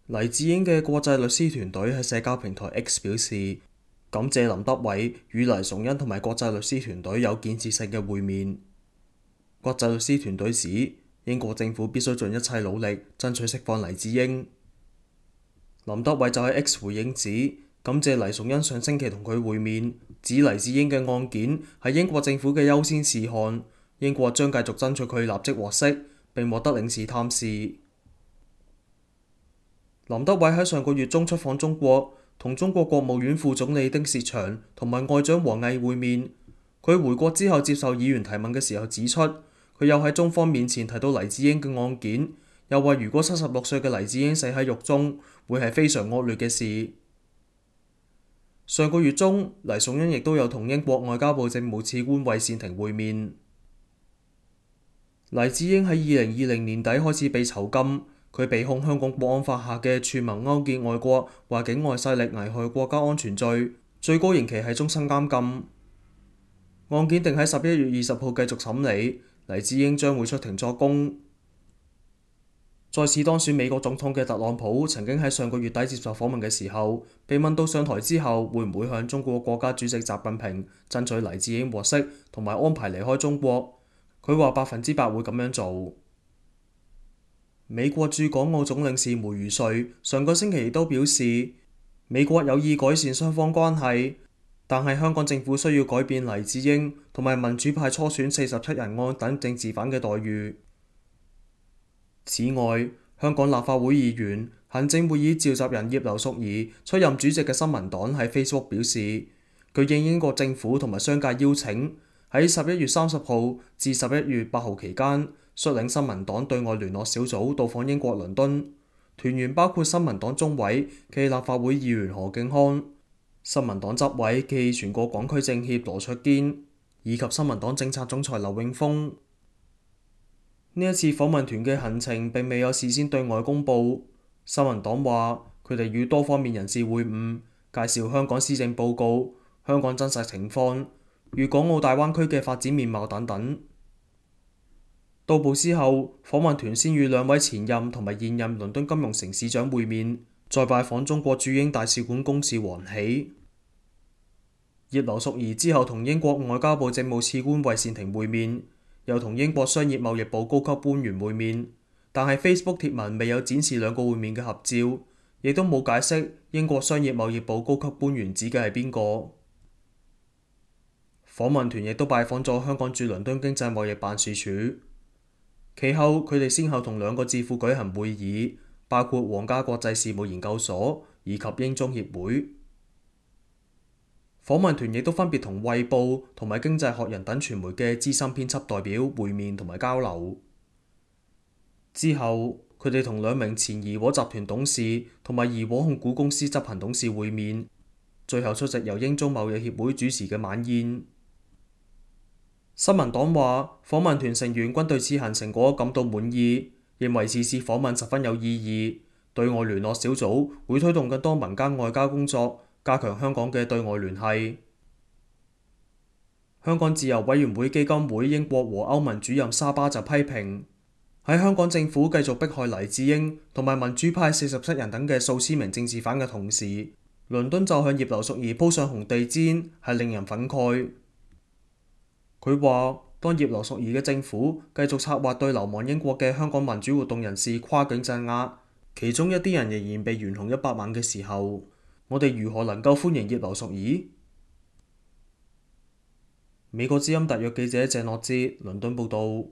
黎智英嘅國際律師團隊喺社交平台 X 表示，感謝林德偉與黎崇恩同埋國際律師團隊有建設性嘅會面。國際律師團隊指，英國政府必須盡一切努力爭取釋放黎智英。林德偉就喺 X 回應指，感謝黎崇恩上星期同佢會面，指黎智英嘅案件係英國政府嘅優先事項，英國將繼續爭取佢立即獲釋並獲得領事探視。林德偉喺上個月中出訪中國，同中國國務院副總理丁薛祥同埋外長王毅會面。佢回國之後接受議員提問嘅時候指出，佢又喺中方面前提到黎智英嘅案件，又話如果76歲嘅黎智英死喺獄中，會係非常惡劣嘅事。上個月中，黎崇恩亦都有同英國外交部政務次官韋善庭會面。黎智英喺2020年底開始被囚禁。佢被控香港國安法下嘅串謀勾結外國或境外勢力危害國家安全罪，最高刑期係終身監禁。案件定喺11月20號繼續審理，黎智英將會出庭作供。再次當選美國總統嘅特朗普曾經喺上個月底接受訪問嘅時候，被問到上台之後會唔會向中國國家主席習近平爭取黎智英獲釋同埋安排離開中國，佢話100%會咁樣做。美國駐港澳總領事梅如瑞上個星期亦都表示，美國有意改善雙方關係，但係香港政府需要改變黎智英同埋民主派初選47人案等政治犯嘅待遇。此外，香港立法會議員、行政會議召集人葉劉淑儀出任主席嘅新民黨喺 Facebook 表示，佢應英國政府同埋商界邀請，喺11月30號至11月8號期間，率領新民黨對外聯絡小組到訪英國倫敦，團員包括新民黨中委暨立法會議員何敬康、新民黨執委暨全國廣區政協羅卓堅，以及新民黨政策總裁劉永峰。呢一次訪問團嘅行程並未有事先對外公佈。新民黨話佢哋與多方面人士會晤，介紹香港施政報告、香港真實情況、粵港澳大灣區嘅發展面貌等等。到埗之後，訪問團先與2位前任同埋現任倫敦金融城市長會面，再拜訪中國駐英大使館公使王喜。葉劉淑儀之後同英國外交部政務次官韋善庭會面，又同英國商業貿易部高級官員會面，但係 Facebook 貼文未有展示兩個會面嘅合照，亦都冇解釋英國商業貿易部高級官員指嘅係邊個。訪問團亦都拜訪咗香港駐倫敦經濟貿易辦事處。其後，佢哋先後同2個智庫舉行會議，包括皇家國際事務研究所以及英中協會。訪問團亦都分別同《衛報》同埋《經濟學人》等傳媒嘅資深編輯代表會面同埋交流。之後，佢哋同2名前怡和集團董事同埋怡和控股公司執行董事會面，最後出席由英中貿易協會主持嘅晚宴。新民黨話，訪問團成員均對此行成果感到滿意，認為此次訪問十分有意義。對外聯絡小組會推動更多民間外交工作，加強香港嘅對外聯繫。香港自由委員會基金會英國和歐盟主任沙巴就批評，喺香港政府繼續迫害黎智英同埋民主派47人等嘅數千名政治犯嘅同時，倫敦就向葉劉淑儀鋪上紅地氈，係令人憤慨。佢話：當葉劉淑儀嘅政府繼續策劃對流亡英國嘅香港民主活動人士跨境鎮壓，其中一啲人仍然被懸紅100萬嘅時候，我哋如何能夠歡迎葉劉淑儀？美國之音特約記者鄭樂哲倫敦報導。